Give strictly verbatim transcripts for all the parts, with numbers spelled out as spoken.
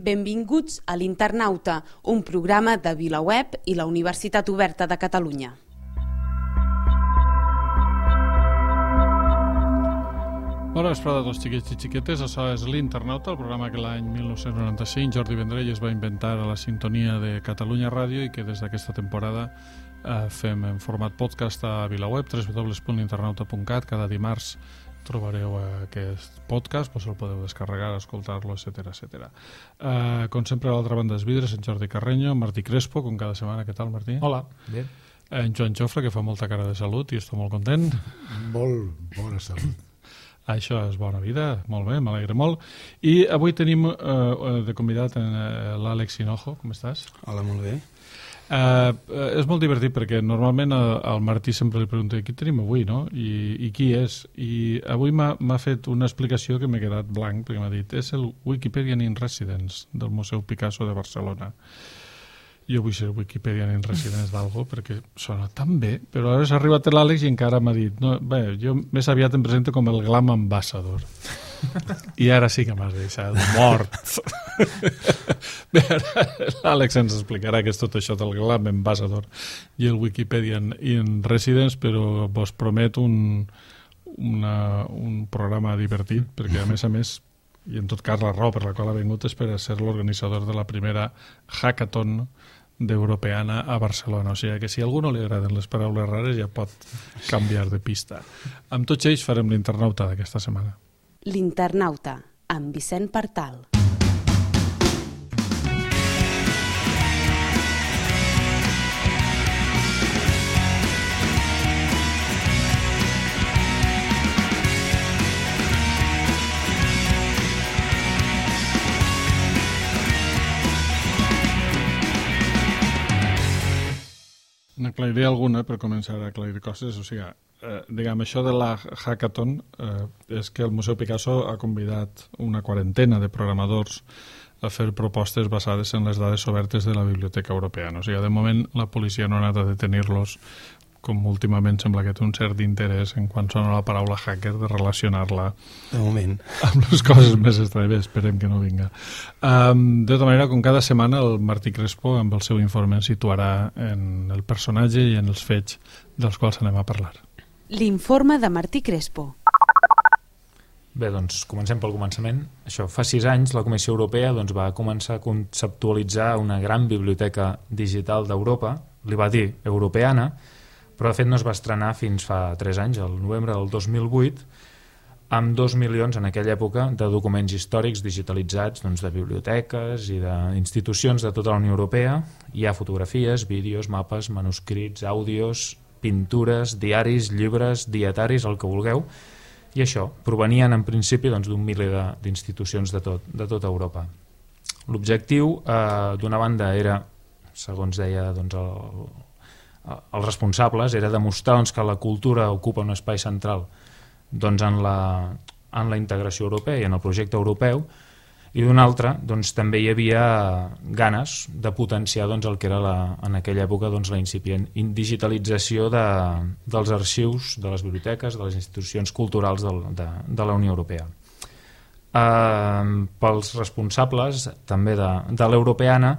Benvinguts a l'Internauta, un programa de VilaWeb i la Universitat Oberta de Catalunya. Bona vesprada a tots xiquets i xiquetes, això és l'Internauta, el programa que l'any mil nou-cents noranta-cinc Jordi Vendrell es va inventar a la sintonia de Catalunya Ràdio i que des d'aquesta temporada eh, fem en format podcast a VilaWeb, w w w punt internauta punt cat. Cada dimarts trobareu aquest podcast, doncs el podeu descarregar, escoltar-lo, etcètera, etcètera. Uh, com sempre, a l'altra banda dels vidres, en Jordi Carreño, Martí Crespo, com cada setmana. Què tal, Martí? Hola, bé. En Joan Jofre, que fa molta cara de salut i estic molt content. Molt bona salut. Això és bona vida, molt bé, m'alegre molt. I avui tenim uh, de convidat uh, l'Àlex Hinojo. Com estàs? Hola, molt bé. Uh, uh, és molt divertit perquè normalment al, al Martí sempre li pregunto qui tenim avui, no? I, i qui és? I avui m'ha fet una explicació que m'he quedat blanc perquè m'ha dit és el Wikipedian in Residence del Museu Picasso de Barcelona. Jo vull ser Wikipedian in Residence d'algo perquè sona tan bé, però ara s'ha arribat l'Àlex i encara m'ha dit no, bé, jo més aviat em presento com el Glam Ambassador. I ara sí que m'has deixat mort. Bé, ara l'Àlex ens explicarà què és tot això del Glam Ambassador i el Wikipedian in Residence, però vos promet un, una, un programa divertit, perquè a més a més, i en tot cas la raó per la qual ha vingut és per a ser l'organitzador de la primera hackathon d'Europeana a Barcelona. O sigui que si a algú no li agraden les paraules rares ja pot canviar de pista. Amb tots ells farem l'Internauta d'aquesta setmana. L'Internauta, amb Vicent Partal. N'aclariré alguna per començar a aclarir coses. O sigui, eh, diguem, això de la hackathon eh, és que el Museu Picasso ha convidat una quarantena de programadors a fer propostes basades en les dades obertes de la Biblioteca Europeana. O sigui, de moment la policia no ha anat a detenir-los, com últimament sembla que té un cert interès en quan sona la paraula hacker de relacionar-la de moment amb les coses més estranyes. Esperem que no vinga. Um, de tota manera, com cada setmana, el Martí Crespo amb el seu informe ens situarà en el personatge i en els fets dels quals anem a parlar. L'informe de Martí Crespo. Bé, doncs comencem pel començament. Això, fa sis anys la Comissió Europea doncs, va començar a conceptualitzar una gran biblioteca digital d'Europa, li va dir Europeana, però de fet no es va estrenar fins fa tres anys, el novembre del dos mil vuit, amb dos milions en aquella època de documents històrics digitalitzats doncs, de biblioteques i d'institucions de tota la Unió Europea. Hi ha fotografies, vídeos, mapes, manuscrits, àudios, pintures, diaris, llibres, dietaris, el que vulgueu, i això provenien en principi doncs, d'un miler d'institucions de, tot, de tota Europa. L'objectiu, eh, d'una banda, era, segons deia doncs, el els responsables, era demostrar doncs, que la cultura ocupa un espai central doncs, en, la, en la integració europea i en el projecte europeu, i d'una altra doncs, també hi havia ganes de potenciar doncs, el que era la, en aquella època doncs, la incipient digitalització de, dels arxius, de les biblioteques, de les institucions culturals de, de, de la Unió Europea. Eh, pels responsables també de, de l'Europeana,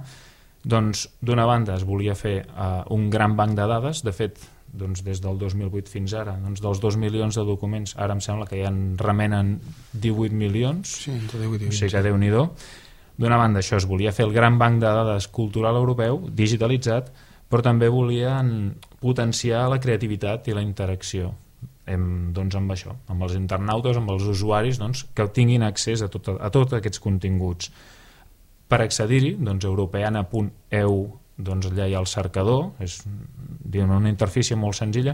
doncs, d'una banda es volia fer uh, un gran banc de dades. De fet, doncs, des del dos mil vuit fins ara, doncs, dels dos milions de documents, ara em sembla que ja en remenen divuit milions. Sí, entre divuit i vint. O sigui que Déu-n'hi-do. D'una banda, això, es volia fer el gran banc de dades cultural europeu, digitalitzat, però també volien potenciar la creativitat i la interacció amb, doncs, amb això, amb els internautes, amb els usuaris, doncs, que tinguin accés a, tot, a tots aquests continguts. Per accedir-hi, doncs, europeana punt e u, doncs, allà hi ha el cercador, és una interfície molt senzilla.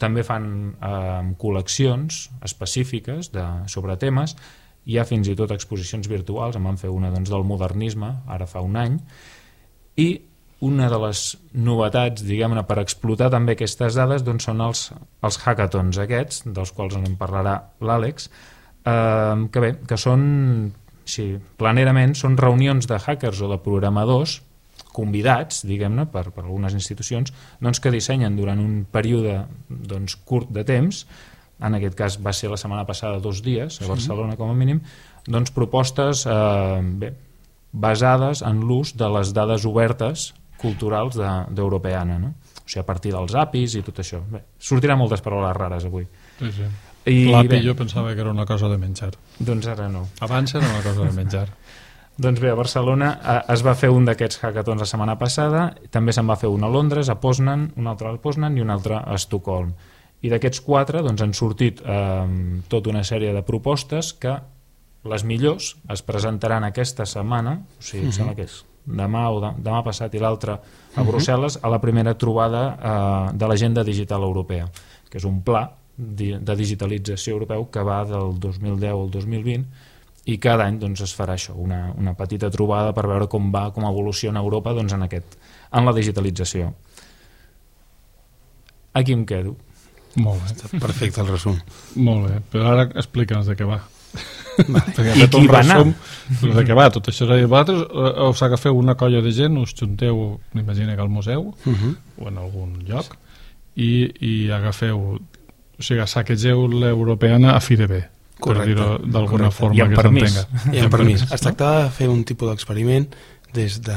També fan eh, col·leccions específiques de, sobre temes. Hi ha fins i tot exposicions virtuals, en van fer una doncs, del modernisme, ara fa un any, i una de les novetats, diguem-ne, per explotar també aquestes dades doncs, són els, els hackathons aquests, dels quals en parlarà l'Àlex, eh, que bé, que són... Sí, planerament són reunions de hackers o de programadors convidats, diguem-ne, per, per algunes institucions, doncs, que dissenyen durant un període doncs, curt de temps, en aquest cas va ser la setmana passada dos dies a Barcelona com a mínim, doncs propostes eh, bé, basades en l'ús de les dades obertes culturals d'Europeana, no? O sigui, a partir dels A P Is i tot això. Bé, sortirà moltes paraules rares avui. Sí, sí. I L'A P I bé, jo pensava que era una cosa de menjar. doncs ara no. Abans era una cosa de menjar. Doncs bé, a Barcelona eh, es va fer un d'aquests hackathons la setmana passada, també se'n va fer un a Londres, a Poznan, un altre a Poznan i un altre a Estocolm. I d'aquests quatre doncs, han sortit eh, tota una sèrie de propostes que les millors es presentaran aquesta setmana, o sigui, uh-huh. sembla que és demà o de, demà passat i l'altre a Brussel·les, a la primera trobada eh, de l'Agenda Digital Europea, que és un pla de digitalització europeu que va del dos mil deu al dos mil vint i cada any doncs, es farà això, una, una petita trobada per veure com va, com evoluciona Europa doncs, en, aquest, en la digitalització. Aquí em quedo. Molt bé. Està perfecte el resum. Molt bé, però ara explica'ns de què va. Vale. Perquè ha I fet qui un va anar? resum de què va tot això. És a dir, vosaltres eh, us agafeu una colla de gent, us junteu, m'imagino que al museu Uh -huh. o en algun lloc, i, i agafeu, o sigui, saquegeu l'europeana a fi de bé, per Correcte. dir-ho d'alguna Correcte. forma I amb que permís. s'entenga. I amb permís. Es tractava de fer un tipus d'experiment des de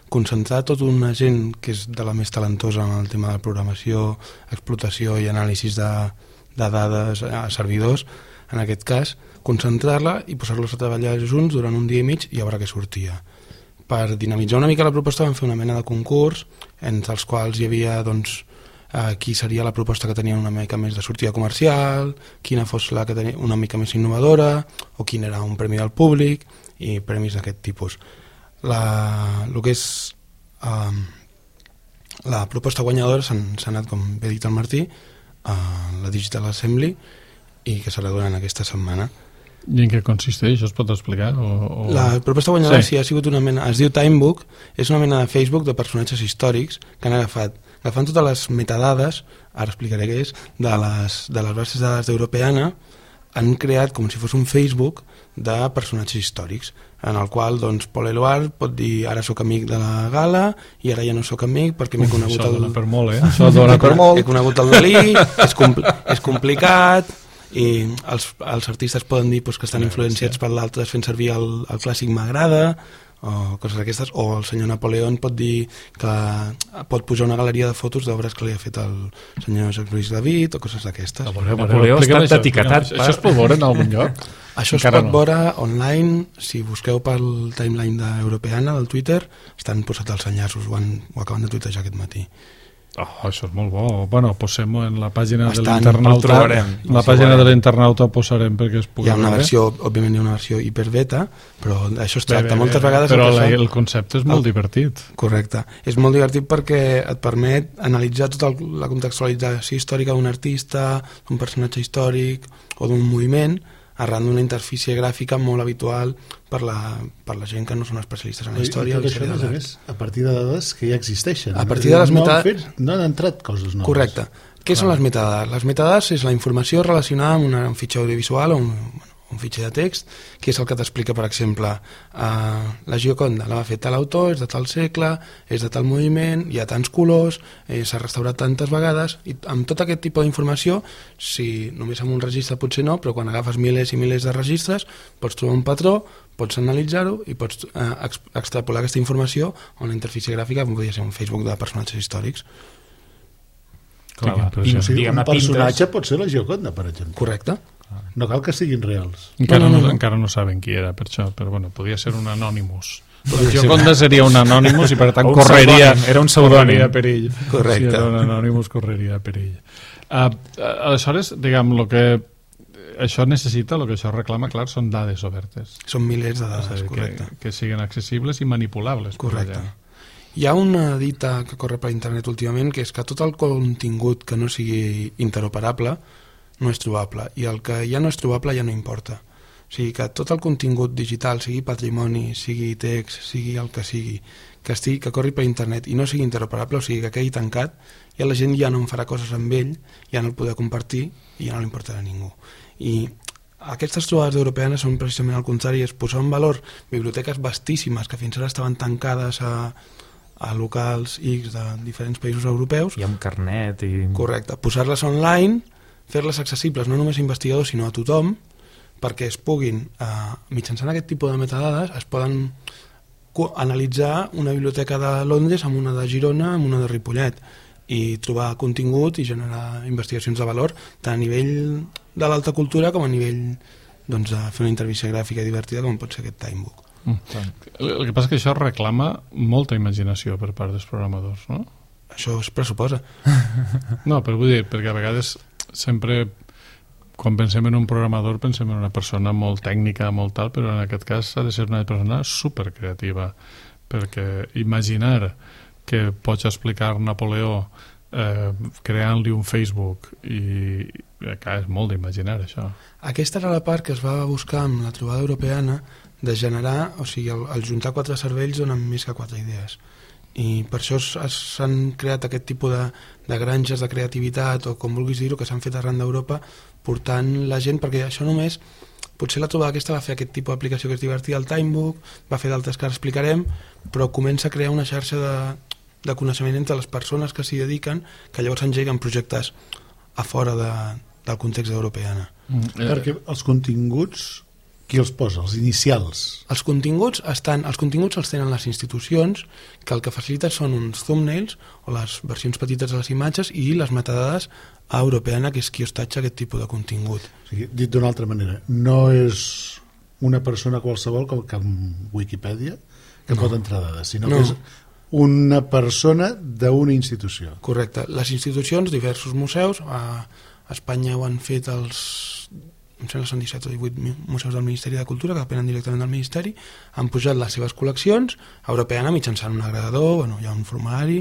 concentrar tota una gent que és de la més talentosa en el tema de programació, explotació i anàlisis de, de dades a servidors, en aquest cas, concentrar-la i posar-los a treballar junts durant un dia i mig i a veure què sortia. Per dinamitzar una mica la proposta vam fer una mena de concurs entre els quals hi havia doncs, eh, qui seria la proposta que tenia una mica més de sortida comercial, quina fos la que tenia una mica més innovadora o quin era un premi del públic i premis d'aquest tipus. La, el que és eh, la proposta guanyadora s'ha anat, com bé dit el Martí, a la Digital Assembly i que serà durant aquesta setmana. I en què consisteix? Això es pot explicar? O, o... La proposta guanyadora sí. Sí. sí, ha sigut una mena, es diu Timebook, és una mena de Facebook de personatges històrics que han agafat, agafant totes les metadades, ara explicaré què és, de les, de les bases de dades d'Europeana, han creat com si fos un Facebook de personatges històrics, en el qual doncs, Paul Eluard pot dir ara sóc amic de la Gala i ara ja no sóc amic perquè m'he conegut Això el... dona per molt, eh? Això dona per molt. He conegut el Dalí, és, compl és complicat i els, els artistes poden dir pues, que estan influenciats per l'altre fent servir el, el clàssic m'agrada o coses d'aquestes, o el senyor Napoleón pot dir que pot pujar una galeria de fotos d'obres que li ha fet el senyor Jacques Louis David o coses d'aquestes. Napoleó ha estat etiquetat Això, això es pot veure en algun lloc? Això es Encara pot no. veure online, si busqueu pel timeline d'Europeana del Twitter, estan posats els enllaços, ho, han, ho acaben de tuitejar aquest matí. Oh, això és molt bo. Bueno, posem-ho en la pàgina de Estan, l'internauta. el trobarem, En la el pàgina de trobarem. l'internauta ho posarem perquè es pugui Hi ha una veure. versió, òbviament hi ha una versió hiperbeta, però això es Bé, tracta bé, moltes bé, vegades... Però el que la, són- el concepte és molt el- divertit. Correcte. És molt divertit perquè et permet analitzar tota el, la contextualització històrica d'un artista, d'un personatge històric o d'un moviment arran d'una interfície gràfica molt habitual per la, per la gent que no són especialistes en la història. I o tot això, història a més de a l'art. més, a partir de dades que ja existeixen. A partir de les no han meta- fet, no han entrat coses noves. Correcte. Què són les metadades? Les metadades és la informació relacionada amb una, un fitxer audiovisual o un, bueno, un fitxer de text, que és el que t'explica, per exemple, uh, la Gioconda la va fer tal autor, és de tal segle, és de tal moviment, hi ha tants colors, eh, s'ha restaurat tantes vegades, i amb tot aquest tipus d'informació, si només amb un registre potser no, però quan agafes milers i milers de registres, pots trobar un patró, pots analitzar-ho i pots eh, ex extrapolar aquesta informació a una interfície gràfica, com podria ser un Facebook de personatges històrics. Clar, Sí, pin, O sigui, diguem-ne, un personatge pintes. pot ser la Gioconda, per exemple. Correcte? No cal que siguin reals. Encara No, no, no, no, no. encara no saben qui era, per això, però bueno, podia ser un Anonymous. La Gioconda seria un Anonymous i per tant O un correria, pseudònim, era un pseudònim. correria perill. Correcte. Si era un Anonymous correria perill. Uh, aleshores, diguem, lo que això necessita, el que això reclama, clar, són dades obertes. Són milers de És a dades, dir, correcte. que, que siguin accessibles i manipulables. per la Correcte. gent. Hi ha una dita que corre per internet últimament que és que tot el contingut que no sigui interoperable no és trobable, i el que ja no és trobable ja no importa. O sigui que tot el contingut digital, sigui patrimoni, sigui text, sigui el que sigui, que estigui, que corri per internet i no sigui interoperable, o sigui que quedi tancat, ja la gent ja no en farà coses amb ell, ja no el podrà compartir i ja no li importarà a ningú. I aquestes trobades europeanes són precisament al contrari, és posar en valor biblioteques vastíssimes que fins ara estaven tancades a, a locals X de diferents països europeus. I amb carnet i... Correcte, posar-les online, fer-les accessibles no només a investigadors sinó a tothom, perquè es puguin, eh, mitjançant aquest tipus de metadades, es poden analitzar una biblioteca de Londres amb una de Girona, amb una de Ripollet, i trobar contingut i generar investigacions de valor tant a nivell de l'alta cultura com a nivell doncs, de fer una intervenció gràfica divertida com pot ser aquest Timebook. Mm. El que passa és que això reclama molta imaginació per part dels programadors, no? Això es pressuposa. No, però vull dir, perquè a vegades sempre quan pensem en un programador pensem en una persona molt tècnica, molt tal, però en aquest cas ha de ser una persona supercreativa, perquè imaginar que pots explicar Napoleó eh, creant-li un Facebook i clar, és molt d'imaginar això. Aquesta era la part que es va buscar amb la trobada europeana de generar, o sigui, el, el juntar quatre cervells donen més que quatre idees. I per això s'han creat aquest tipus de, de granges de creativitat o com vulguis dir-ho, que s'han fet arran d'Europa portant la gent, perquè això només potser la trobada aquesta va fer aquest tipus d'aplicació que és divertida, el Timebook, va fer d'altres que ara explicarem, però comença a crear una xarxa de, de coneixement entre les persones que s'hi dediquen, que llavors engeguen projectes a fora de, del context europeana. Mm. Eh. Perquè els continguts qui els posa? Els inicials? Els continguts estan, els continguts els tenen les institucions, que el que facilita són uns thumbnails o les versions petites de les imatges i les metadades a Europeana, que és qui hostatja aquest tipus de contingut. O sigui, dit d'una altra manera, no és una persona qualsevol com que en Wikipedia que no pot entrar dades, sinó no. que és una persona d'una institució. Correcte. Les institucions, diversos museus, a Espanya ho han fet els... em sembla que són disset o divuit museus del Ministeri de Cultura que depenen directament del Ministeri, han pujat les seves col·leccions a Europeana mitjançant un agregador, bueno, hi ha un formulari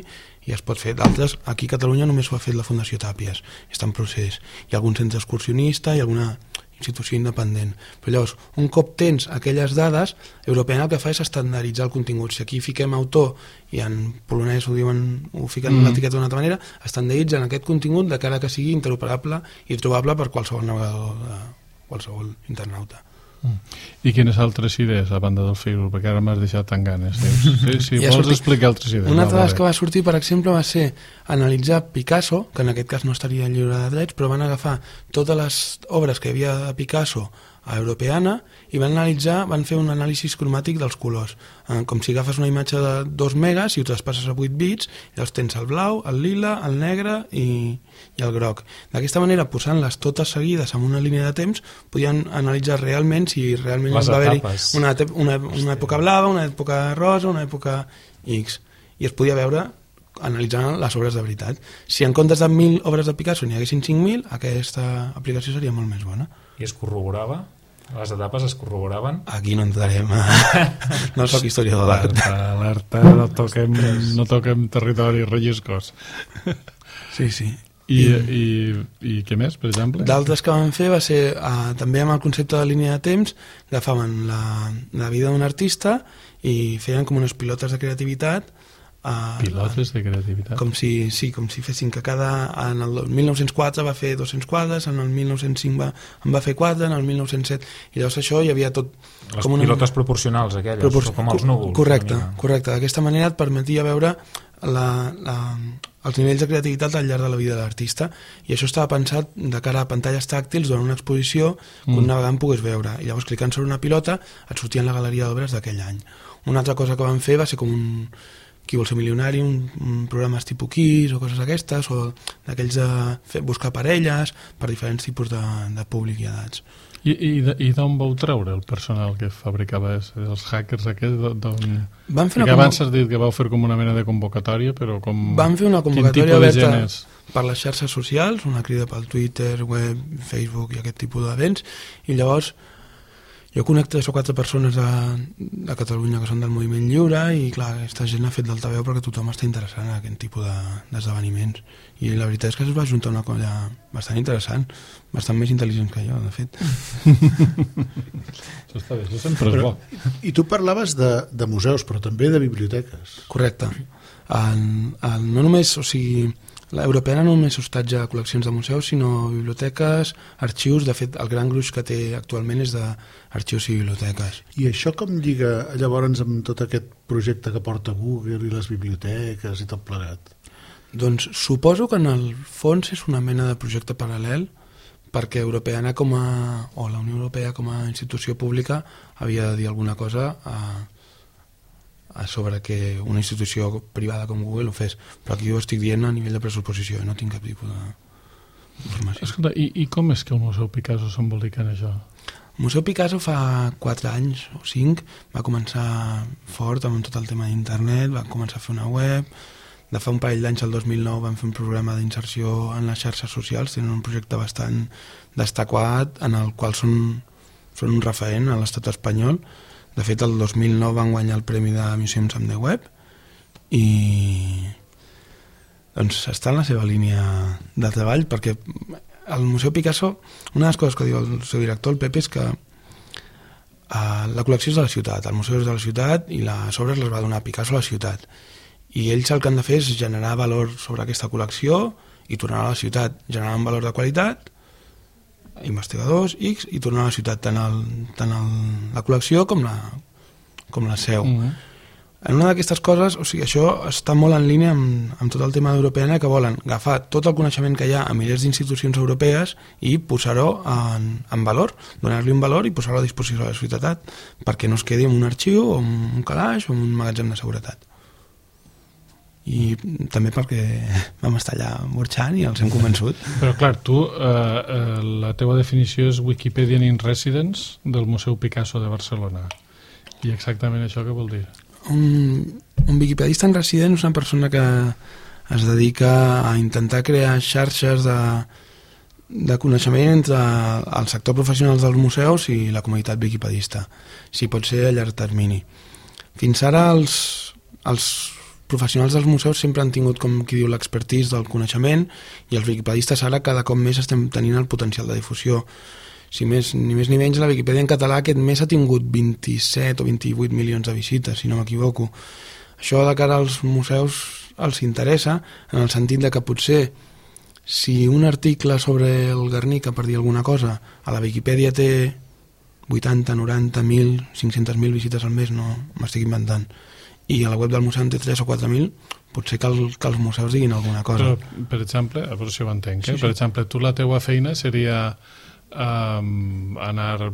i es pot fer. D'altres, aquí a Catalunya només ho ha fet la Fundació Tàpies, està en procés. Hi ha algun centre excursionista i alguna institució independent. Però llavors, un cop tens aquelles dades, Europeana el que fa és estandarditzar el contingut. Si aquí fiquem autor i en polonès ho diuen, ho fiquen mm. l'etiqueta d'una altra manera, estandarditzen aquest contingut de cara que sigui interoperable i trobable per qualsevol navegador de qualsevol internauta. Mm. I quines altres idees a banda del Facebook? Perquè ara m'has deixat tan ganes. Sí, si ja vols sortit... explicar altres idees. Una altra de les que va sortir, per exemple, va ser analitzar Picasso, que en aquest cas no estaria lliure de drets, però van agafar totes les obres que hi havia de Picasso a Europeana i van analitzar, van fer un anàlisi cromàtic dels colors, eh, com si agafes una imatge de dos megas i ho traspasses a vuit bits, llavors tens el blau, el lila, el negre i, i el groc. D'aquesta manera, posant-les totes seguides en una línia de temps, podien analitzar realment si realment les va haver-hi una, una, una època blava, una època rosa, una època X, i es podia veure analitzant les obres de veritat. Si en comptes de mil obres de Picasso n'hi haguessin cinc mil, aquesta aplicació seria molt més bona. I es corroborava? Les etapes es corroboraven? Aquí no entrarem a... no soc historiador d'art. Alerta, alerta, no toquem, no toquem territori relliscós. Sí, sí. I, i, i què més, per exemple? D'altres que van fer va ser, uh, també amb el concepte de línia de temps, agafaven la, la vida d'un artista i feien com unes pilotes de creativitat. Uh, Pilotes de creativitat. Com si, sí, com si fessin que cada... En el mil nou-cents quatre va fer dos-cents quadres, en el mil nou-cents cinc va, en va fer quatre, en el mil nou-cents set... I llavors això hi havia tot... Les com una... pilotes proporcionals aquelles, Propor... com els núvols. Correcte, correcte. D'aquesta manera et permetia veure la, la, els nivells de creativitat al llarg de la vida de l'artista, i això estava pensat de cara a pantalles tàctils durant una exposició que mm. un navegant pogués veure, i llavors clicant sobre una pilota et sortia en la galeria d'obres d'aquell any. Una altra cosa que van fer va ser com un... Qui vol ser milionari, un, un programes tipus Kiss o coses aquestes, o d'aquells de fer, buscar parelles per diferents tipus de, de públic i edats. I, i d'on vau treure el personal que fabricava els hackers aquests? Van fer una abans has dit que vau fer com una mena de convocatòria, però com... Van fer una convocatòria oberta per les xarxes socials, una crida pel Twitter, web, Facebook i aquest tipus d'events, i llavors jo conec tres o quatre persones de, de Catalunya que són del moviment lliure i clar, aquesta gent ha fet d'altaveu perquè tothom està interessant en aquest tipus d'esdeveniments de, i la veritat és que es va juntar una colla bastant interessant, bastant més intel·ligent que jo, de fet. Això està bé, això sempre és bo. I tu parlaves de, de museus, però també de biblioteques. Correcte. El, el, no només, o sigui, l'Europeana no només hostatja col·leccions de museus, sinó biblioteques, arxius. De fet, el gran gruix que té actualment és d'arxius i biblioteques. I això com lliga llavors amb tot aquest projecte que porta Google i les biblioteques i tot plegat? Doncs suposo que en el fons és una mena de projecte paral·lel, perquè Europeana com a, o la Unió Europea com a institució pública havia de dir alguna cosa a, a sobre que una institució privada com Google ho fes, però aquí ho estic dient a nivell de pressuposició, no tinc cap tipus d'informació. Escolta, i, i com és que el Museu Picasso s'embolica en això? El Museu Picasso fa quatre anys o cinc va començar fort amb tot el tema d'internet, va començar a fer una web, de fa un parell d'anys, el dos mil nou, van fer un programa d'inserció en les xarxes socials, tenen un projecte bastant destacat en el qual són, són un referent a l'estat espanyol. De fet, el dos mil nou van guanyar el premi de Museums on the Web i doncs està en la seva línia de treball, perquè el Museu Picasso, una de les coses que diu el seu director, el Pepe, és que uh, la col·lecció és de la ciutat, el museu és de la ciutat i les obres les va donar Picasso a la ciutat. I ells el que han de fer és generar valor sobre aquesta col·lecció i tornar a la ciutat, generar un valor de qualitat, investigadors X, i tornar a la ciutat, tant, el, tant el, la col·lecció com la, com la seu. Mm-hmm. En una d'aquestes coses, o sigui, això està molt en línia amb, amb tot el tema d'Europeana, que volen agafar tot el coneixement que hi ha a milers d'institucions europees i posar-ho en, en valor, donar-li un valor i posar-lo a disposició de la societat, perquè no es quedi en un arxiu o en un calaix o en un magatzem de seguretat. I també perquè vam estar allà burxant i els hem convençut. Però clar, tu, eh, eh, la teva definició és Wikipedian in Residence del Museu Picasso de Barcelona. I exactament això què vol dir? Un, un wikipedista en resident és una persona que es dedica a intentar crear xarxes de, de coneixement entre el sector professional dels museus i la comunitat wikipedista, si pot ser a llarg termini. Fins ara els, els professionals dels museus sempre han tingut, com qui diu, l'expertise del coneixement, i els wikipedistes ara cada cop més estem tenint el potencial de difusió. Si més, ni més ni menys, la Viquipèdia en català aquest mes ha tingut vint-i-set o vint-i-vuit milions de visites, si no m'equivoco. Això de cara als museus els interessa, en el sentit de que potser si un article sobre el Guernica, per dir alguna cosa, a la Viquipèdia té vuitanta, noranta, mil, cinc-centes mil visites al mes, no m'estic inventant, i a la web del museu en té tres o quatre mil, potser que, el, que els museus diguin alguna cosa. Però, per exemple, a veure si ho entenc, sí, eh? sí. Per exemple, tu la teua feina seria um, anar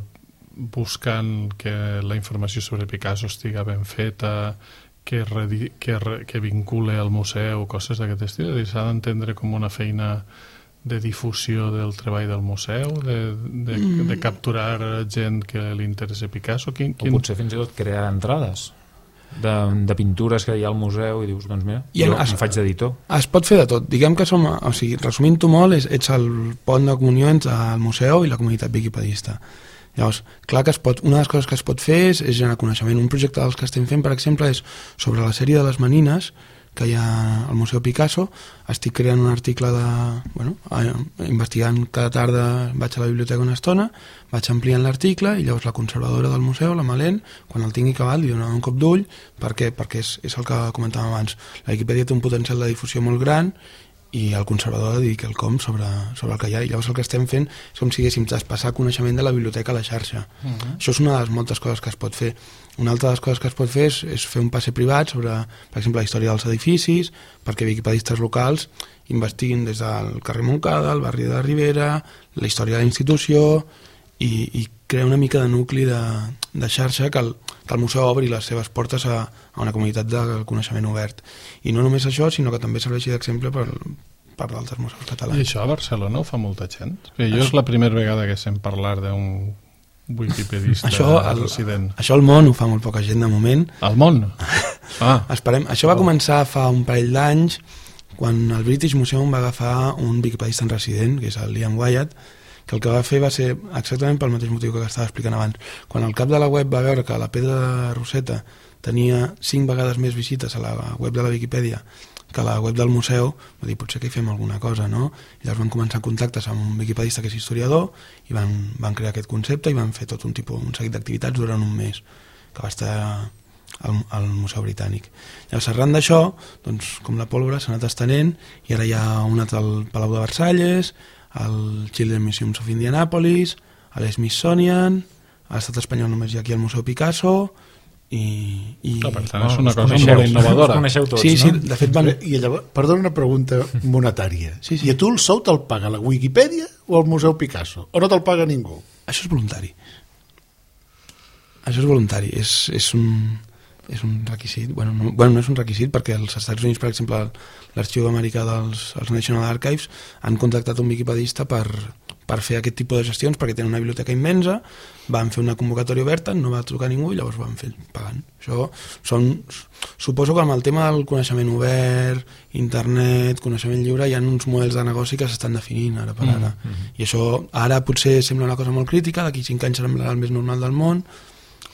buscant que la informació sobre Picasso estiga ben feta, que, redi, que, re, que vincule al museu, coses d'aquest estil. S'ha d'entendre com una feina de difusió del treball del museu, de, de, mm. de capturar gent que li interessa Picasso. Quin, quin... O potser fins i tot crear entrades de, de pintures que hi ha al museu i dius, doncs mira, I jo es, em faig d'editor. Es pot fer de tot. Diguem que som, o sigui, resumint-ho molt, és, ets el pont de comunió entre el museu i la comunitat wikipedista. Llavors, clar que es pot, una de les coses que es pot fer és, és generar coneixement. Un projecte dels que estem fent, per exemple, és sobre la sèrie de les Menines que hi ha al Museu Picasso. Estic creant un article de... Bueno, investigant cada tarda, vaig a la biblioteca una estona, vaig ampliant l'article i llavors la conservadora del museu, la Malén, quan el tingui acabat li donarà un cop d'ull. Per què? Perquè és, és el que comentàvem abans. La Viquipèdia té un potencial de difusió molt gran i el conservador ha de dir quelcom sobre, sobre el que hi ha, i llavors el que estem fent és com si haguéssim traspassar coneixement de la biblioteca a la xarxa. Uh-huh. Això és una de les moltes coses que es pot fer. Una altra de les coses que es pot fer és, és fer un passe privat sobre, per exemple, la història dels edificis, perquè wikipedistes locals investiguin des del carrer Montcada, el barri de Ribera, la història de la institució, i, i crear una mica de nucli de, de xarxa que el, que el museu obri les seves portes a, a una comunitat de coneixement obert. I no només això, sinó que també serveixi d'exemple per, per d'altres museus catalans. I això a Barcelona ho fa molta gent? Perquè jo és la primera vegada que sent parlar d'un wikipedista això, el, resident. Això al món ho fa molt poca gent de moment. Al món? Ah. Esperem. Això va començar fa un parell d'anys quan el British Museum va agafar un wikipedista en resident, que és el Liam Wyatt, que el que va fer va ser exactament pel mateix motiu que estava explicant abans. Quan el cap de la web va veure que la pedra de Roseta tenia cinc vegades més visites a la web de la Viquipèdia que a la web del museu, va dir, potser que hi fem alguna cosa, no? I llavors van començar contactes amb un wikipedista que és historiador i van, van crear aquest concepte i van fer tot un tipus, un seguit d'activitats durant un mes, que va estar al, al Museu Britànic. Llavors, arran d'això, doncs, com la pólvora s'ha anat estenent, i ara hi ha un altre al Palau de Versalles, al Children's Museum of Indianapolis, a l'Smithsonian, a l'estat espanyol només hi ha aquí al Museu Picasso, i... i... Ah, per tant, és una cosa molt innovadora. Tots, sí, sí, no? de fet van... I llavors, perdona una pregunta monetària. Sí, sí. I a tu el sou te'l paga la Wikipedia o el Museu Picasso? O no te'l paga ningú? Això és voluntari. Això és voluntari. És, és un... és un requisit. Bueno no, bueno, no és un requisit perquè als Estats Units, per exemple, l'arxiu americà dels els National Archives han contactat un wikipedista per, per fer aquest tipus de gestions perquè tenen una biblioteca immensa, van fer una convocatòria oberta, no va trucar ningú i llavors van fer pagant. Això són, suposo que amb el tema del coneixement obert, internet, coneixement lliure, hi ha uns models de negoci que s'estan definint ara per ara. Mm -hmm. I això ara potser sembla una cosa molt crítica, d'aquí cinc anys serà el més normal del món,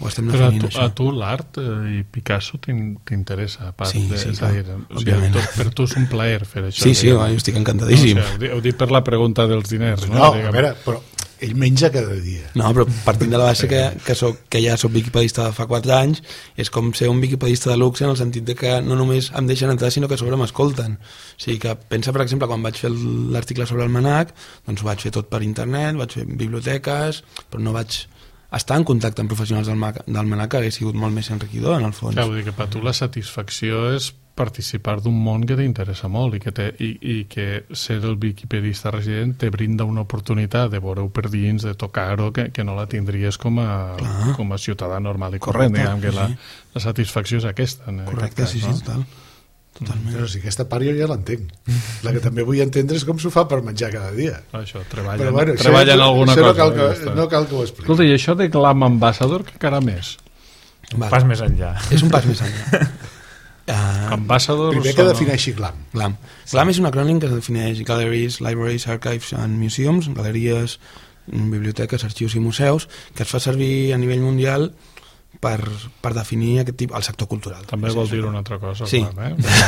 ho estem però definint, a tu, això. a tu l'art eh, i Picasso t'interessa, a part sí, de, sí, és clar, a dir, o sigui, òbviament. tot, per tu és un plaer fer això. Sí, sí, jo estic encantadíssim. No, o sigui, heu dit per la pregunta dels diners, no? No, a veure, però ell menja cada dia. No, però partint de la base que, que, soc, que ja soc wikipedista de fa quatre anys, és com ser un wikipedista de luxe en el sentit de que no només em deixen entrar, sinó que a sobre m'escolten. O sigui que pensa, per exemple, quan vaig fer l'article sobre el MNAC, doncs ho vaig fer tot per internet, vaig fer biblioteques, però no vaig estar en contacte amb professionals del, del MNAC, que hauria sigut molt més enriquidor, en el fons. Clar, vull dir que per tu la satisfacció és participar d'un món que t'interessa molt i que, te, i, i que ser el wikipedista resident te brinda una oportunitat de veure-ho per dins, de tocar-ho, que, que no la tindries com a, com a ciutadà normal i corrent. Correcte, diguem que sí. la, la satisfacció és aquesta. En Correcte, cas, sí, sí, no? total. Totalment. Però sí, aquesta part jo ja l'entenc. La que també vull entendre és com s'ho fa per menjar cada dia. Això, treballen, Però bueno, treballen això, alguna això cosa. No cal, ja que, està. no cal que ho expliqui. Escolta, i això de Glam Ambassador, que encara més? Un Vale. pas més enllà. És un pas més enllà. Uh, Ambassador... Primer que defineixi glam. GLAM. GLAM és un acrònim que defineix Galleries, Libraries, Archives and Museums, galeries, biblioteques, arxius i museus, que es fa servir a nivell mundial per, per definir aquest tipus, el sector cultural. També vol dir una altra cosa. Sí. Clar, eh?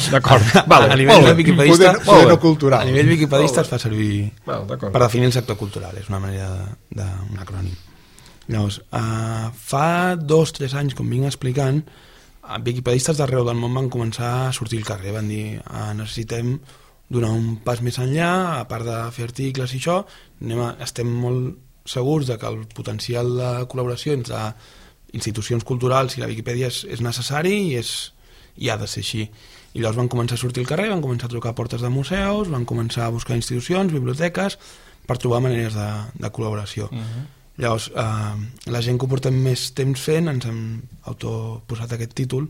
D'acord. Vale, a nivell de wikipedista, Poder, poder no cultural. a nivell wikipedista es fa servir Val, per definir el sector cultural, és una manera d'un acrònim. Llavors, uh, fa dos o tres anys, com vinc explicant, wikipedistes d'arreu del món van començar a sortir al carrer, van dir uh, necessitem donar un pas més enllà, a part de fer articles i això, anem a, estem molt segurs de que el potencial de col·laboració entre institucions culturals i la Viquipèdia és, és necessari i, és, i ha de ser així. I llavors van començar a sortir al carrer, van començar a trucar a portes de museus, van començar a buscar institucions, biblioteques, per trobar maneres de, de col·laboració. Uh-huh. Llavors, eh, la gent que ho portem més temps fent ens hem autoposat aquest títol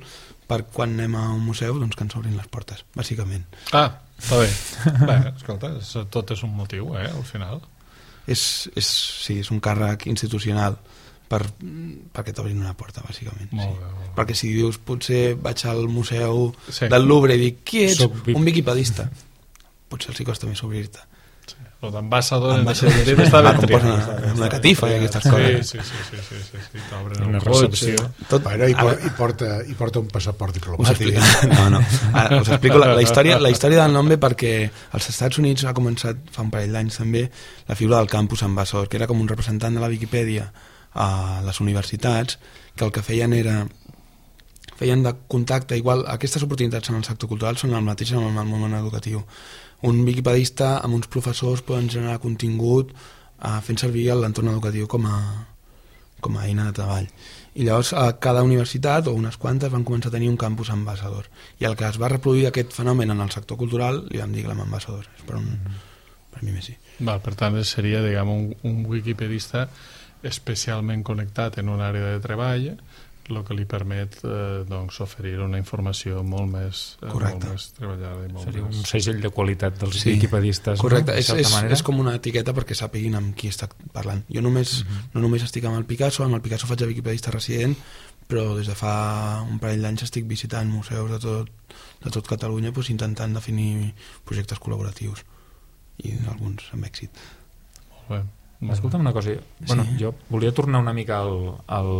per quan anem a un museu doncs, que ens obrin les portes, bàsicament. Ah, està bé. Bé, escolta, tot és un motiu, eh, al final. És, és, sí, és un càrrec institucional per, perquè t'obrin una porta, bàsicament. Molt Sí. bé, molt bé. Perquè si dius, potser vaig al museu Sí. del Louvre i dic, qui ets? Soc vi- Un wikipedista. Potser els hi costa més obrir-te. Lo d'ambassador en Ambaixador, aquest sí, sentit està va, ben com triat. posen Està bé, una està catifa ben i triat. aquestes coses. Sí, sí, sí, sí, sí, sí. T'obren Una el cotxe. recepció. Tot, Bueno, i, ara- por, i, porta, i porta un passaport Us diplomàtic. explico, no, no. Ara, us explico la, la, història, la història del nom ve perquè als Estats Units ha començat fa un parell d'anys també la figura del campus ambassador, que era com un representant de la Viquipèdia a les universitats, que el que feien era feien de contacte, igual aquestes oportunitats en el sector cultural són el mateix en el món educatiu. Un wikipedista amb uns professors poden generar contingut eh, fent servir l'entorn educatiu com a, com a eina de treball. I llavors a cada universitat, o unes quantes, van començar a tenir un campus ambassador. I el que es va reproduir aquest fenomen en el sector cultural li vam dir Glam Ambassador. És per, un, per mi més sí. Val, per tant, seria, diguem, un, un wikipedista especialment connectat en una àrea de treball, el que li permet eh, doncs, oferir una informació molt més, eh, molt més treballada. I molt Seria un més... segell de qualitat dels Sí, wikipedistes. correcte, no? és, és, és com una etiqueta perquè sàpiguin amb qui està parlant. Jo només, uh-huh. no només estic amb el Picasso, amb el Picasso faig de wikipedista resident, però des de fa un parell d'anys estic visitant museus de tot, de tot Catalunya doncs, intentant definir projectes col·laboratius i alguns amb èxit. Molt bé. Escolta'm una cosa, bueno, Sí. jo volia tornar una mica al, al,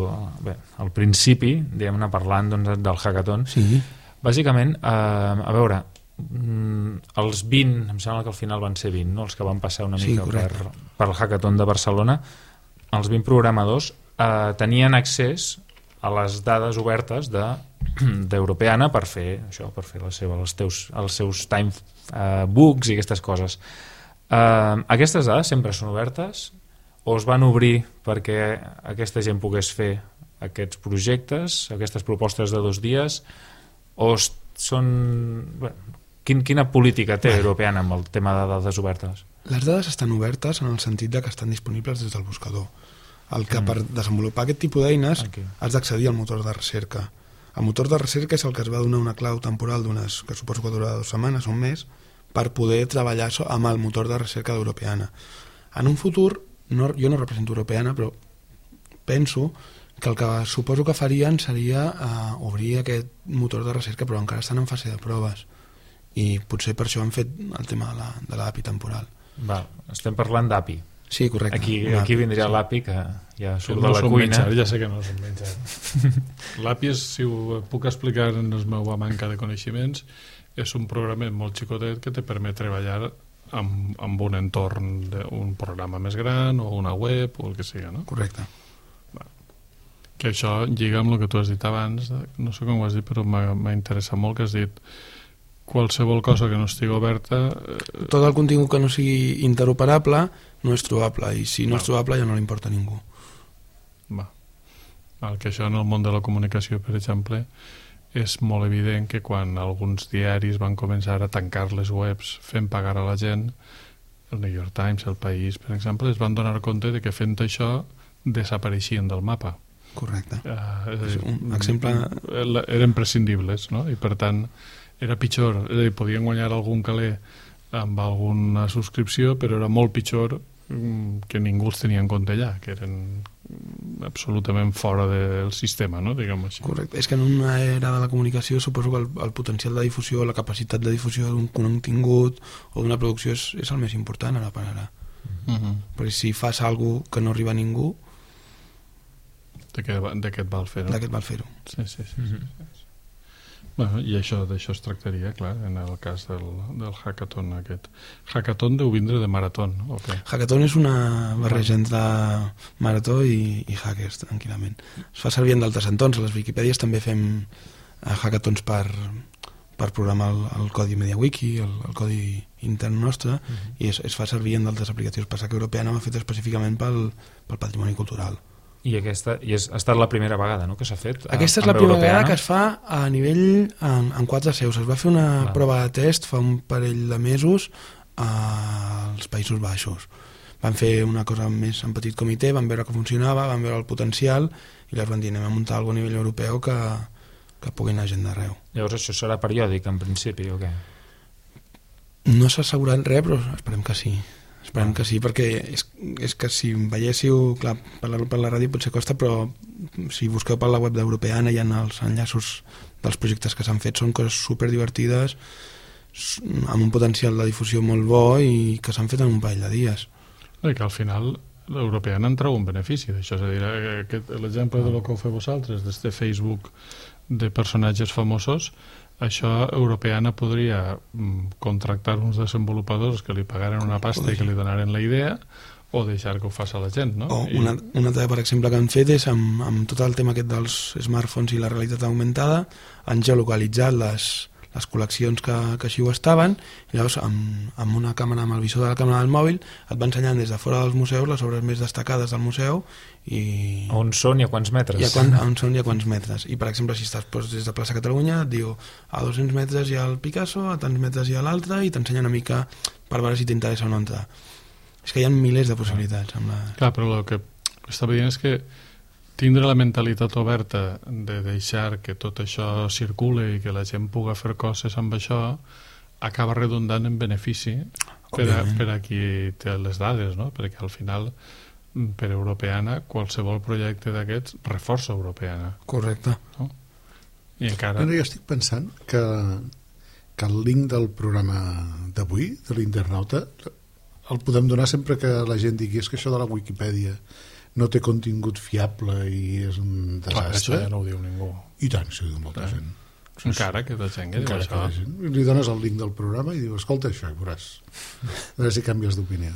bé, al principi, diguem-ne, parlant doncs, del hackathon. Sí. Bàsicament, eh, a veure, mm, els vint, em sembla que al final van ser vint, no? Els que van passar una Sí, mica per, correcte. per el hackathon de Barcelona, els vint programadors eh, tenien accés a les dades obertes de d'Europeana per fer això, per fer la seva, els, teus, els seus time eh, books i aquestes coses. Uh, aquestes dades sempre són obertes o es van obrir perquè aquesta gent pogués fer aquests projectes, aquestes propostes de dos dies, o es- són... Bueno, quin, quina política té Vale. Europeana amb el tema de dades obertes? Les dades estan obertes en el sentit de que estan disponibles des del buscador. El que mm. per desenvolupar aquest tipus d'eines Aquí. has d'accedir al motor de recerca. El motor de recerca és el que es va donar una clau temporal d'unes, que suposo que durarà dues setmanes o un mes, per poder treballar amb el motor de recerca d'Europeana. En un futur, no, jo no represento Europeana, però penso que el que suposo que farien seria uh, obrir aquest motor de recerca, però encara estan en fase de proves, i potser per això han fet el tema de l'A P I temporal. Val, estem parlant d'A P I. Sí, correcte. Aquí, aquí vindria sí. l'A P I, que ja surt no de la cuina. Menjar, ja sé que no són menjar. L'A P I, és, si ho puc explicar en la meva manca de coneixements, és un programa molt xicotet que te permet treballar amb, amb un entorn d'un programa més gran o una web o el que sigui, no? Correcte. Que això lliga amb el que tu has dit abans, no sé com ho has dit, però m'ha interessat molt que has dit qualsevol cosa que no estigui oberta... Eh... Tot el contingut que no sigui interoperable no és trobable, i si no Va. és trobable ja no li importa a ningú. Va. El que això en el món de la comunicació, per exemple, és molt evident que quan alguns diaris van començar a tancar les webs fent pagar a la gent, el New York Times, el País, per exemple, es van donar compte de que fent això desapareixien del mapa. Correcte. Uh, és dir, un exemple... Eren prescindibles, no? I per tant era pitjor, és a dir, podien guanyar algun caler amb alguna subscripció, però era molt pitjor que ningú els tenia en compte allà, que eren absolutament fora del sistema, no? Diguem-ho així. Correcte, és que en una era de la comunicació suposo que el, el potencial de difusió, la capacitat de difusió d'un contingut o d'una producció és, és el més important ara per ara. Uh-huh. Perquè si fas alguna cosa que no arriba a ningú, de què, de què et val fer-ho? De què et val fer-ho. Sí, sí, sí. Uh-huh. sí, sí. Bueno, i això d'això es tractaria, clar, en el cas del, del hackathon aquest. Hackathon deu vindre de marató, okay. Hackathon és una barreja entre marató i, i hackers, tranquil·lament. Es fa servir en d'altres entorns. A les Wikipèdies també fem hackathons per, per programar el, el codi MediaWiki, el, el codi intern nostre, uh-huh. i es, es fa servir en d'altres aplicatius. Passa que Europeana m'ha fet específicament pel, pel patrimoni cultural. I aquesta i és, ha estat la primera vegada, no?, que s'ha fet a, aquesta és la primera vegada que es fa a nivell en, en quatre seus. Es va fer una Clar. prova de test fa un parell de mesos als Països Baixos. Van fer una cosa més en petit comitè, van veure que funcionava, van veure el potencial i llavors van dir anem a muntar alguna a nivell europeu que, que pugui anar gent d'arreu. Llavors això serà periòdic en principi o què? No s'ha assegurat res, però esperem que sí. Esperem que sí, perquè és, és que si veiéssiu, clar, per la, per la ràdio potser costa, però si busqueu per la web d'Europeana hi ha els enllaços dels projectes que s'han fet, són coses superdivertides, amb un potencial de difusió molt bo i que s'han fet en un parell de dies. I que al final l'Europeana en treu un benefici d'això, és a dir, aquest, l'exemple de lo que ho feu vosaltres, des de Facebook de personatges famosos, això Europeana podria mm, contractar uns desenvolupadors que li pagaren una pasta i que li donaren la idea o deixar que ho faci la gent, no? O I... una, una altra, per exemple, que han fet és amb, amb tot el tema aquest dels smartphones i la realitat augmentada, han geolocalitzat les, les col·leccions que, que així ho estaven, i llavors amb, amb una càmera, amb el visor de la càmera del mòbil et va ensenyant des de fora dels museus les obres més destacades del museu i... On són i a quants metres? I a quan, on són i a quants metres. I per exemple, si estàs doncs, des de plaça Catalunya et diu a dos-cents metres hi ha el Picasso, a tants metres hi ha l'altre, i t'ensenya una mica per veure si t'interessa o no entrar. És que hi ha milers de possibilitats. Amb la... Clar, però el que estava dient és que tindre la mentalitat oberta de deixar que tot això circule i que la gent pugui fer coses amb això acaba redundant en benefici per a, per a qui té les dades, no? Perquè al final per Europeana qualsevol projecte d'aquests reforça Europeana. Correcte. No? I encara... Bueno, jo estic pensant que, que el link del programa d'avui, de l'internauta, el podem donar sempre que la gent digui és que això de la Wikipedia no té contingut fiable i és un desastre. Clar, això ja no ho diu ningú. I tant, si ho diu molta gent. Encara que de gent que diu això. Que li dones el link del programa i diu, escolta això, i veuràs. A veure si canvies d'opinió.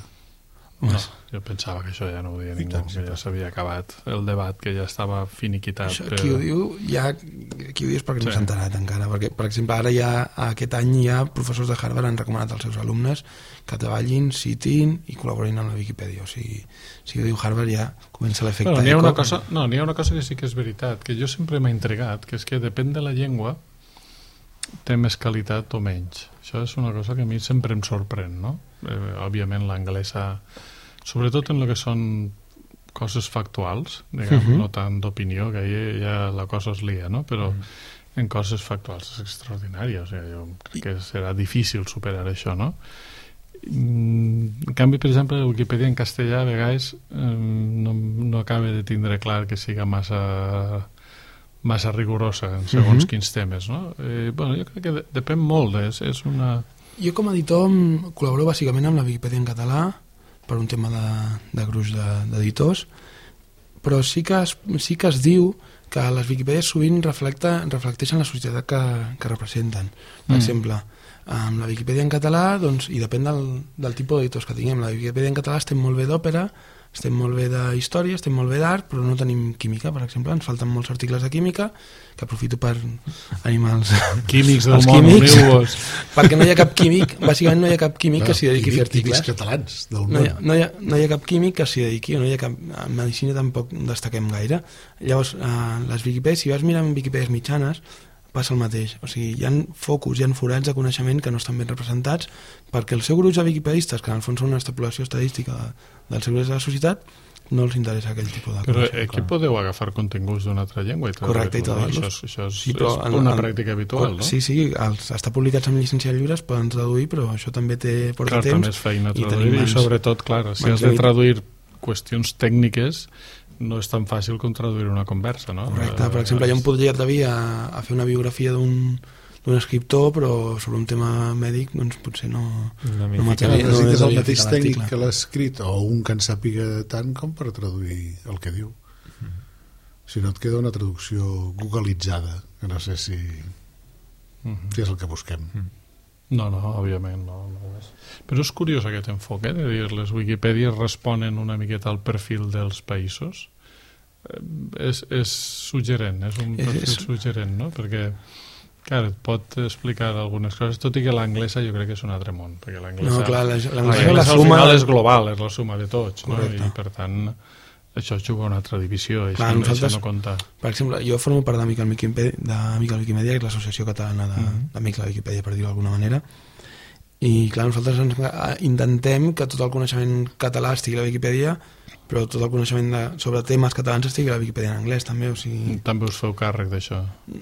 No, jo pensava que això ja no ho deia ningú, tant, que ja s'havia acabat el debat, que ja estava finiquitat. Això, però... qui ho diu ja, qui ho diu és perquè sí. no s'ha enterat encara, perquè per exemple ara ja aquest any ja professors de Harvard han recomanat als seus alumnes que treballin, citin i col·laborin amb la Wikipedia, o sigui, si ho diu Harvard ja comença l'efecte bueno, n'hi ha eco. Una cosa, no, n'hi ha una cosa que sí que és veritat, que jo sempre m'ha intrigat, que és que depèn de la llengua té més qualitat o menys. Això és una cosa que a mi sempre em sorprèn, no? Eh, òbviament l'anglesa, sobretot en el que són coses factuals, diguem, Uh-huh. no tant d'opinió, que ja, ja la cosa es lia, no? Però Mm. en coses factuals és extraordinària, o sigui, jo crec que serà difícil superar això, no? En canvi, per exemple, la Wikipedia en castellà a vegades eh, no, no acaba de tindre clar que siga massa massa rigorosa en segons Uh-huh. quins temes, no? Eh, bueno, jo crec que de, depèn molt, és, és una... Jo com a editor em col·laboro bàsicament amb la Wikipedia en català per un tema de, de gruix de- d'editors, però sí que, es, sí que es diu que les Wikipèdies sovint reflecta, reflecteixen la societat que, que representen. Per Mm. exemple, amb la Wikipedia en català, doncs, i depèn del, del tipus d'editors que tinguem, la Wikipedia en català estem molt bé d'òpera, estem molt bé de història, estem molt bé d'art, però no tenim química, per exemple, ens falten molts articles de química, que aprofito per animar els, Químics del els món, químics, uniu-vos. perquè no hi ha cap químic, bàsicament no hi ha cap químic que s'hi dediqui a fer Químics articles. catalans del No hi, ha, món. no, hi ha, no hi ha cap químic que s'hi dediqui, no hi ha cap, en medicina tampoc destaquem gaire. Llavors, eh, les Wikipèdies, si vas mirant Wikipèdies mitjanes, passa el mateix. O sigui, hi ha focus, hi ha forats de coneixement que no estan ben representats perquè el seu gruix de wikipedistes, que en el fons són una extrapolació estadística de, del seu gruix de la societat, no els interessa aquell tipus de Però coneixement. aquí podeu agafar continguts d'una altra llengua i Correcte, i traduir-los, no? traduir-los. Això, això és, Sí, però és en- una en- pràctica habitual, no? Sí, sí, els, està publicats amb llicència lliure, es poden traduir, però això també té, porta Clar, temps. també és feina i traduir tenim i, mans- sobretot, clar, si mans has de limit- traduir qüestions tècniques no és tan fàcil com traduir una conversa, no? Correcte, per Eh, exemple, jo em podria atrevir a, a fer una biografia d'un d'un escriptor, però sobre un tema mèdic doncs potser no, No m'hi no ficaré. m'atrevi- no Necessites el m'atrevi a mateix ficar tècnic l'article. que l'ha escrit o un que en sàpiga tant com per traduir el que diu. Si no et queda una traducció googleitzada, que no sé si, Mhm. si és el que busquem. No, no, òbviament no, no ho és. Però és curiós aquest enfoc, eh, de dir les Wikipèdies responen una miqueta al perfil dels països. Eh, és, és suggerent, és un És- perfil és- suggerent, no? Perquè, clar, et pot explicar algunes coses, tot i que l'anglesa jo crec que és un altre món, perquè l'anglesa No, clar, la- l'anglesa l'anglesa la al suma- final és global, és la suma de tots, no? Correcte. I per tant això juga una altra divisió, això, Clar, no- nosaltres- això no compta. Per exemple, jo formo part d'Amic al Wikipedia, d'Amic al Wikimedia, que és l'associació catalana de- Mhm. d'Amics a la Wikipedia, per dir-ho d'alguna manera, i clar, nosaltres ens, eh, intentem que tot el coneixement català estigui a la Wikipedia, però tot el coneixement de, sobre temes catalans estigui a la Wikipedia en anglès també, o sigui, També us feu càrrec d'això.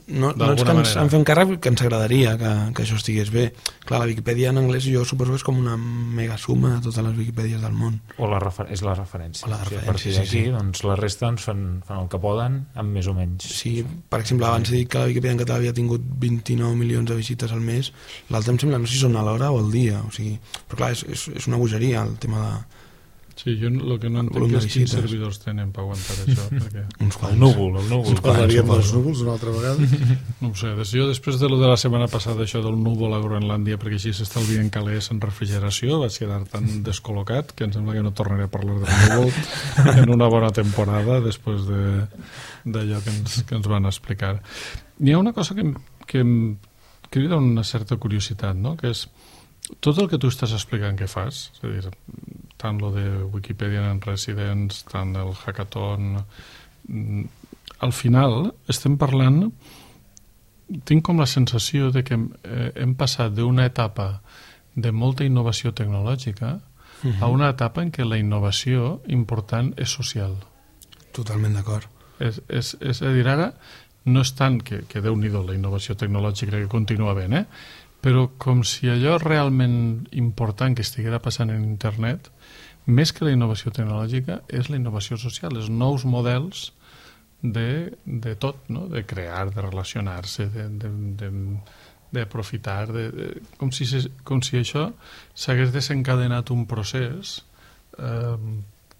no, no és d'alguna que ens manera. en fem càrrec, que ens agradaria que, que això estigués bé. Clar, la Wikipedia en anglès jo suposo que és com una mega suma de totes les Wikipèdies del món. O la refer és la referència. O la O sigui, a referència, partir sí, d'aquí, sí. doncs, la resta doncs, fan, fan el que poden, amb més o menys. Sí, per exemple, abans he dit que la Wikipedia en català havia tingut vint-i-nou milions de visites al mes, l'altre em sembla, no sé si són a l'hora o al dia, o sigui, però clar, és, és, és una bogeria el tema de... Sí, jo el que no entenc volum de és quins visites. servidors tenen per aguantar això, perquè... Uns quants. El núvol, el núvol. Uns quants. Parlaríem suposo. dels núvols una altra vegada. No ho sé, des, jo després de lo de la setmana passada, això del núvol a Groenlàndia, perquè així s'estalvien calés en refrigeració, vaig quedar tan descol·locat que em sembla que no tornaré a parlar del núvol en una bona temporada després de d'allò que ens, que ens van explicar. Hi ha una cosa que, em- que em crida una certa curiositat, no? Que és tot el que tu estàs explicant que fas, és a dir, tant lo de Wikipedia en Residents, tant el hackathon, mm, al final estem parlant, tinc com la sensació de que hem, eh, hem passat d'una etapa de molta innovació tecnològica a una etapa en què la innovació important és social. Totalment d'acord. És, és, és a dir, ara no és tant que, que Déu-n'hi-do la innovació tecnològica que continua ben, eh? Però com si allò realment important que estiguera passant en internet, més que la innovació tecnològica, és la innovació social, els nous models de, de tot, no? De crear, de relacionar-se, de, de, de, d'aprofitar, de, de, com, si, se- com si això s'hagués desencadenat un procés eh,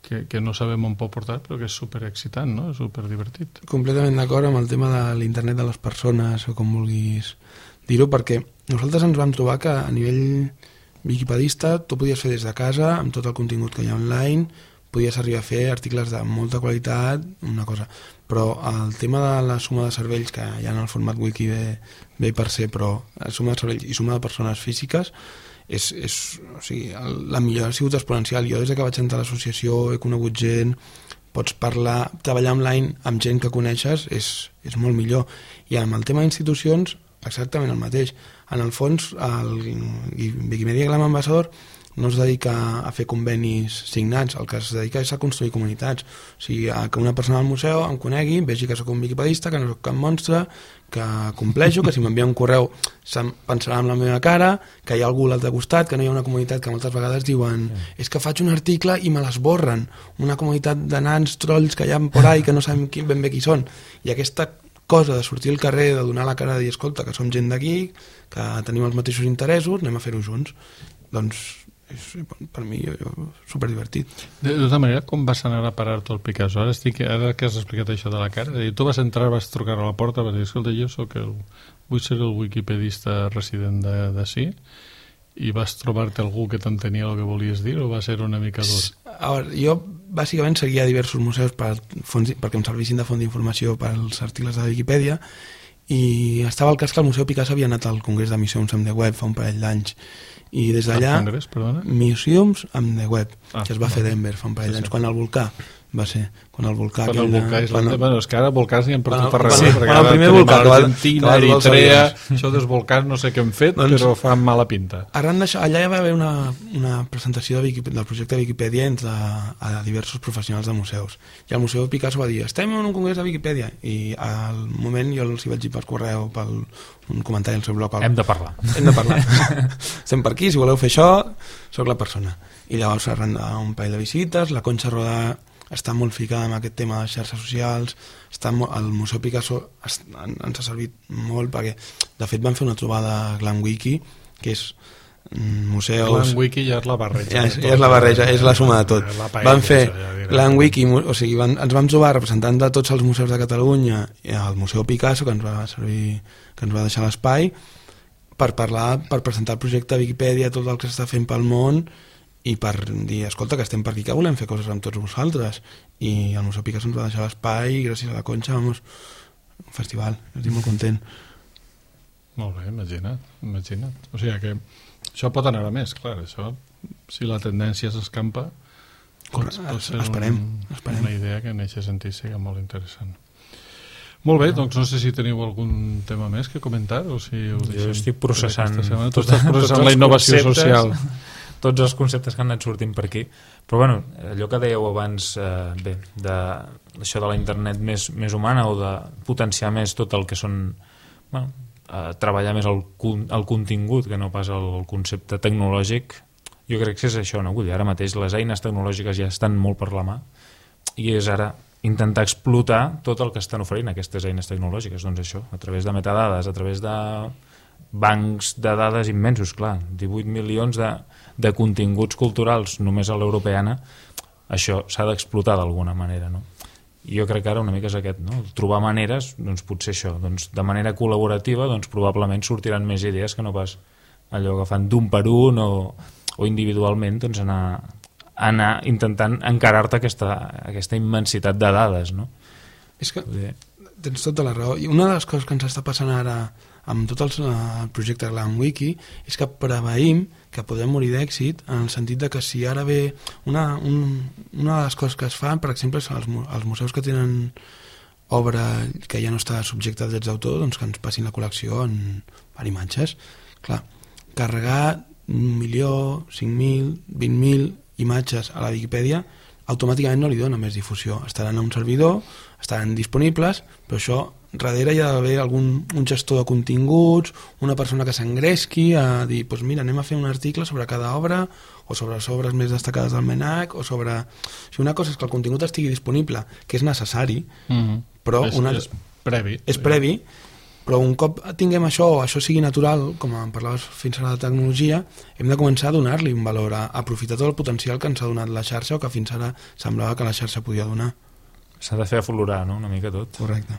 que, que no sabem on pot portar, però que és superexcitant, no? És superdivertit. Completament d'acord amb el tema de l'internet de les persones, o com vulguis dir-ho, perquè nosaltres ens vam trobar que a nivell wikipedista tu podies fer des de casa, amb tot el contingut que hi ha online, podies arribar a fer articles de molta qualitat, una cosa. Però el tema de la suma de cervells, que hi ha en el format wiki ve, ve per ser, però la suma de cervells i suma de persones físiques, és, és, o sigui, el, la millora ha sigut exponencial. Jo des que vaig entrar a l'associació he conegut gent, pots parlar, treballar online amb gent que coneixes és, és molt millor. I amb el tema d'institucions, exactament el mateix. En el fons, el Wikimedia Glam Ambassador no es dedica a fer convenis signats, el que es dedica és a construir comunitats. O sigui, a que una persona al museu em conegui, vegi que sóc un wikipedista, que no sóc cap monstre, que compleixo, que si m'envia un correu se'm pensarà amb la meva cara, que hi ha algú a l'altre costat, que no hi ha una comunitat que moltes vegades diuen és que faig un article i me l'esborren, una comunitat de nans trolls que hi ha por ahí que no sabem qui, ben bé qui són. I aquesta cosa de sortir al carrer, de donar la cara, de dir, escolta, que som gent d'aquí, que tenim els mateixos interessos, anem a fer-ho junts. Doncs és, per mi, jo, jo, superdivertit. De, de tota manera, com vas anar a parar tot el Picasso? Ara, estic, ara que has explicat això de la cara, dir, tu vas entrar, vas trucar a la porta, vas dir, escolta, jo soc el, vull ser el wikipedista resident d'ací, i vas trobar-te algú que t'entenia el que volies dir, o va ser una mica dur? A veure, jo bàsicament seguia diversos museus per fons, perquè em servissin de font d'informació per als articles de Wikipedia, i estava el cas que el Museu Picasso havia anat al Congrés de Museums amb the Web fa un parell d'anys, i des d'allà Congrés, perdona? Museums amb the Web, ah, que es va no. fer a Denver fa un parell d'anys, sí, sí. Quan el volcà va ser, quan el volcà... Quan el volcà és... Quan el... Bueno, és que ara volcàs n'hi ha per tot arreu. Sí, quan el primer volcà... Argentina, Eritrea, això dels volcans no sé què hem fet, doncs, però fa mala pinta. Arran d'això, allà hi va haver una, una presentació de Wikipèdia, del projecte de Wikipedia entre a diversos professionals de museus. I el Museu Picasso va dir, estem en un congrés de Wikipedia, i al moment jo els hi vaig dir per correu, per un comentari al seu blog. Hem de parlar. Hem de parlar. Estem per aquí, si voleu fer això, sóc la persona. I llavors arran d'un parell de visites, la Concha Rodà està molt ficada en aquest tema de xarxes socials, està molt, el Museu Picasso es, en, ens ha servit molt perquè, de fet, van fer una trobada a GlamWiki, que és mm, museus... GlamWiki ja és la barreja. Ja és, ja és la barreja, és la suma de tot. Van fer GlamWiki, o sigui, van, ens vam trobar representants de tots els museus de Catalunya i el Museu Picasso, que ens va servir, que ens va deixar l'espai, per parlar, per presentar el projecte de Wikipedia, tot el que s'està fent pel món, i per dir, escolta, que estem per aquí, que volem fer coses amb tots vosaltres. I el Museu Picasso ens va deixar l'espai, i gràcies a la Concha, vamos, un festival, estic molt content. Molt bé, imagina't, imagina't. O sigui que això pot anar a més, clar, això, si la tendència s'escampa, pot, pot ser esperem, un, esperem. una idea que en aquest sentit sigui molt interessant. Molt bé, doncs no sé si teniu algun tema més que comentar, o si ho deixem... Jo estic processant... Tu estàs processant la innovació social. Tots els conceptes que han anat sortint per aquí, però bueno, allò que dèieu abans, eh, bé, de, això de la internet més, més humana, o de potenciar més tot el que són, bueno, eh, treballar més el, el contingut que no pas el concepte tecnològic, jo crec que és això, no? Vull dir, ara mateix les eines tecnològiques ja estan molt per la mà, i és ara intentar explotar tot el que estan oferint aquestes eines tecnològiques, doncs això, a través de metadades, a través de bancs de dades immensos, clar, divuit milions de, de continguts culturals només a l'europeana, això s'ha d'explotar d'alguna manera, no? I jo crec que ara una mica és aquest, no? Trobar maneres, doncs potser això, doncs de manera col·laborativa, doncs probablement sortiran més idees que no pas allò que fan d'un per un o, o individualment, doncs anar, anar intentant encarar-te aquesta, aquesta immensitat de dades, no? És que tens tota la raó, i una de les coses que ens està passant ara amb tot el projecte GlamWiki és que preveïm que podem morir d'èxit en el sentit de que si ara ve una, un, una de les coses que es fan, per exemple, són els, els museus que tenen obra que ja no està subjecte a drets d'autor, doncs que ens passin la col·lecció en, per imatges. Clar, carregar un milió, cinc mil, vint mil imatges a la Wikipedia automàticament no li dona més difusió. Estaran a un servidor, estaran disponibles, però això darrere hi ha d'haver algun un gestor de continguts, una persona que s'engresqui a dir, doncs mira, anem a fer un article sobre cada obra, o sobre les obres més destacades del MENAC, o sobre... O sigui, una cosa és que el contingut estigui disponible, que és necessari, mm-hmm. però... És, una... és previ. És previ, però un cop tinguem això, o això sigui natural, com en parlaves fins ara de tecnologia, hem de començar a donar-li un valor, a aprofitar tot el potencial que ens ha donat la xarxa o que fins ara semblava que la xarxa podia donar. S'ha de fer aflorar, no?, una mica tot. Correcte.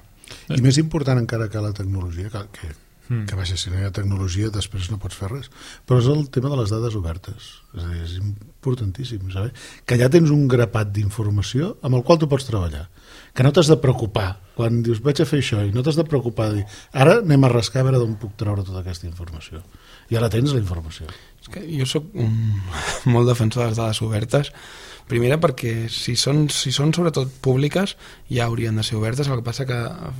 I més important encara que la tecnologia, que, que, mm. que vaja, si no hi ha tecnologia després no pots fer res, però és el tema de les dades obertes. És a dir, és importantíssim saber que ja tens un grapat d'informació amb el qual tu pots treballar, que no t'has de preocupar quan dius vaig a fer això i no t'has de preocupar de dir, ara anem a rascar a veure d'on puc treure tota aquesta informació. Ja la tens, la informació. És que jo soc un, molt defensor de les dades obertes. Primera perquè si són, si són sobretot públiques ja haurien de ser obertes, el que passa que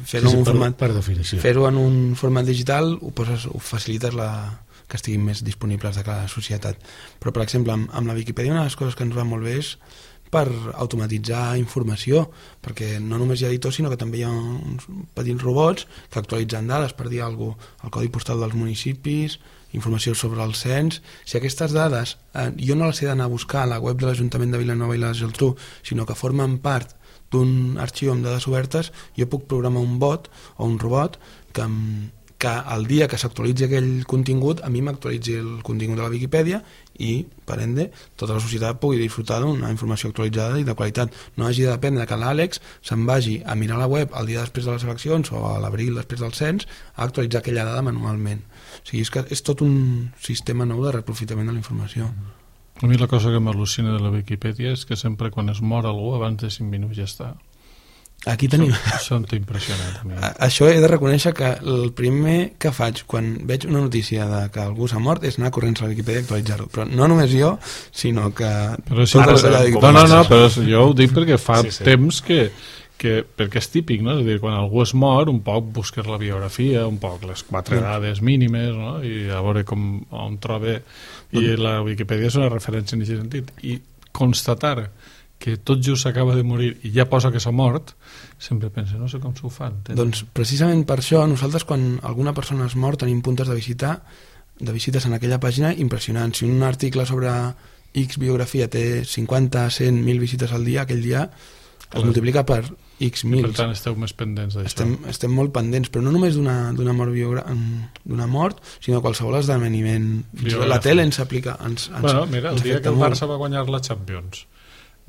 fer-ho sí, sí, en un per, format per definició. Fer-ho en un format digital ho, poses, ho facilites la, que estiguin més disponibles de cada societat. Però, per exemple, amb, amb la Viquipèdia una de les coses que ens va molt bé és per automatitzar informació, perquè no només hi ha editors, sinó que també hi ha uns petits robots que actualitzen dades, per dir alguna cosa, el codi postal dels municipis, informació sobre el cens. Si aquestes dades eh, jo no les he d'anar a buscar a la web de l'Ajuntament de Vilanova i la Geltrú, sinó que formen part d'un arxiu amb dades obertes, jo puc programar un bot o un robot que, que el dia que s'actualitzi aquell contingut, a mi m'actualitzi el contingut de la Viquipèdia i, per ende, tota la societat pugui disfrutar d'una informació actualitzada i de qualitat. No hagi de dependre que l'Àlex se'n vagi a mirar la web el dia després de les eleccions o a l'abril després del cens a actualitzar aquella dada manualment. O sigui, és, que és tot un sistema nou de reaprofitament de la informació. A mi la cosa que m'al·lucina de la Viquipèdia és que sempre quan es mor algú abans de cinc minuts ja està. Aquí tenim... Això em té impressionat a mi. Això he de reconèixer que el primer que faig quan veig una notícia de que algú s'ha mort és anar corrents a la Viquipèdia i actualitzar-ho. Però no només jo, sinó que... Però sí, però, no, no, no, però jo ho dic perquè fa sí, sí. temps que, que... Perquè és típic, no? És a dir, quan algú es mor, un poc busques la biografia, un poc les quatre sí. dades mínimes, no? I a veure com, on troba... I la Viquipèdia és una referència en aquest sentit. I constatar que tot just s'acaba de morir i ja posa que s'ha mort, sempre pensa, no sé com s'ho fan. Tenen... Doncs precisament per això nosaltres quan alguna persona es mor tenim puntes de visita de visites en aquella pàgina impressionants. Si un article sobre X biografia té cinquanta, cent, mil visites al dia, aquell dia es Clar. multiplica per X mil. Per tant esteu més pendents d'això. Estem, estem molt pendents, però no només d'una mort, biogra... d'una mort, sinó qualsevol esdeveniment. La tele ens aplica... Ens, ens, bueno, mira, el dia que el Barça va guanyar la Champions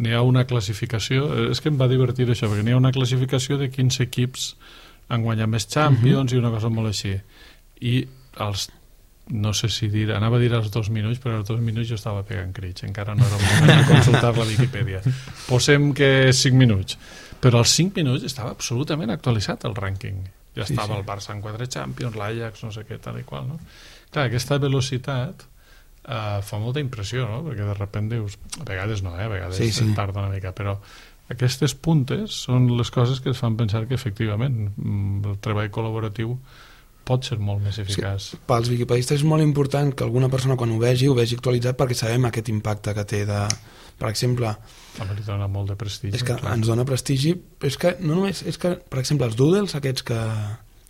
n'hi ha una classificació, és que em va divertir això, perquè n'hi ha una classificació de quins equips han guanyat més Champions uh -huh. i una cosa molt així. I els, no sé si dir, anava a dir als dos minuts, però als dos minuts jo estava pegant crits, encara no era el moment de consultar la Viquipèdia. Posem que cinc minuts, però als cinc minuts estava absolutament actualitzat el rànquing. Ja estava sí, sí. el Barça en quatre Champions, l'Ajax, no sé què, tal i qual, no? Clar, aquesta velocitat Uh, fa molta impressió, no? Perquè de repente dius, a vegades no, eh? a vegades sí, sí. tarda una mica, però aquestes puntes són les coses que es fan pensar que efectivament el treball col·laboratiu pot ser molt més eficaç. Sí, pels viquipedistes és molt important que alguna persona quan ho vegi, ho vegi actualitzat perquè sabem aquest impacte que té de... Per exemple... També li dona molt de prestigi. És que clar. ens dona prestigi, però és que no només... És que, per exemple, els doodles aquests que...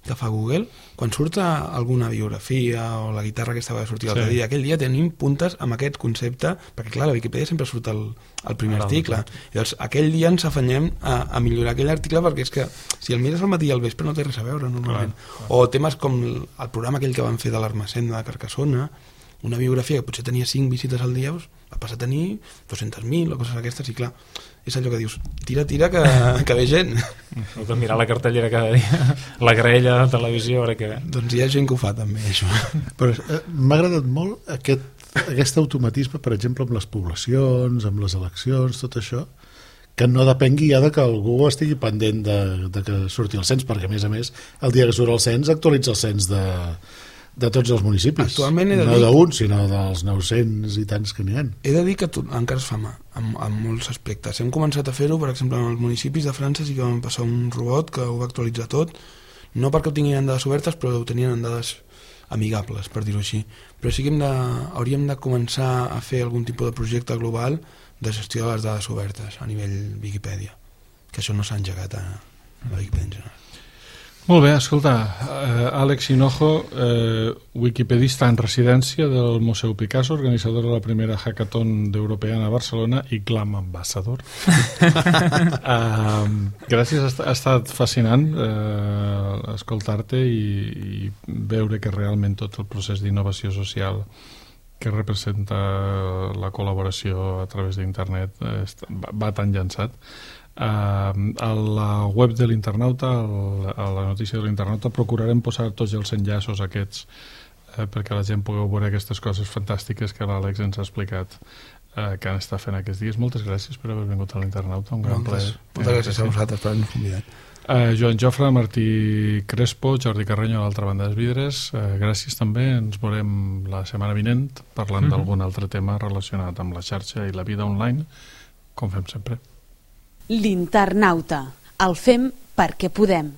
que fa Google, quan surt alguna biografia o la guitarra aquesta va sortir l'altre sí. dia, aquell dia tenim puntes amb aquest concepte, perquè clar, a la Viquipèdia sempre surt el, el primer ah, article. I llavors aquell dia ens afanyem a, a millorar aquell article perquè és que si el mires al matí i al vespre no té res a veure normalment. Clar, clar. O temes com el, el programa aquell que van fer de l'Armacenda de Carcassona, una biografia que potser tenia cinc visites al dia, va passar a tenir dos-centes mil o coses d'aquestes, i clar, és allò que dius, tira, tira, que, que ve gent. Heu de mirar la cartellera cada dia, la graella de televisió, ara que... Doncs hi ha gent que ho fa també, això. Però eh, m'ha agradat molt aquest, aquest automatisme, per exemple, amb les poblacions, amb les eleccions, tot això, que no depengui ja de que algú estigui pendent de, de que surti el cens, perquè a més a més, el dia que surt el cens actualitza el cens de... de tots els municipis. Actualment he de no dir... d'un, sinó dels nou-cents i tants que n'hi ha. He de dir que tot, encara es fa mà, en, en molts aspectes. Hem començat a fer-ho, per exemple, en els municipis de França sí que vam passar un robot que ho va actualitzar tot, no perquè ho tinguin en dades obertes, però ho tenien en dades amigables, per dir-ho així. Però sí que hem de, hauríem de començar a fer algun tipus de projecte global de gestió de les dades obertes a nivell Viquipèdia, que això no s'ha engegat a, a la Viquipèdia en general. Molt bé, escolta, eh, Àlex Hinojo, eh, wikipedista en residència del Museu Picasso, organitzador de la primera hackathon d'Europeana a Barcelona i Glam Ambassador. eh, gràcies, ha estat fascinant eh, escoltar-te i, i veure que realment tot el procés d'innovació social que representa la col·laboració a través d'internet eh, va tan llançat. Uh, a la web de l'internauta, a la notícia de l'internauta, procurarem posar tots els enllaços aquests uh, perquè la gent pugui veure aquestes coses fantàstiques que l'Àlex ens ha explicat uh, que han estat fent aquests dies. Moltes gràcies per haver vingut a l'internauta, un gran plaer. Moltes gràcies a vosaltres per haver-nos convidat. Uh, Joan Jofre, Martí Crespo, Jordi Carreño a l'altra banda dels vidres, uh, gràcies també, ens veurem la setmana vinent parlant mm-hmm. d'algun altre tema relacionat amb la xarxa i la vida online, com fem sempre. L'internauta. El fem perquè podem.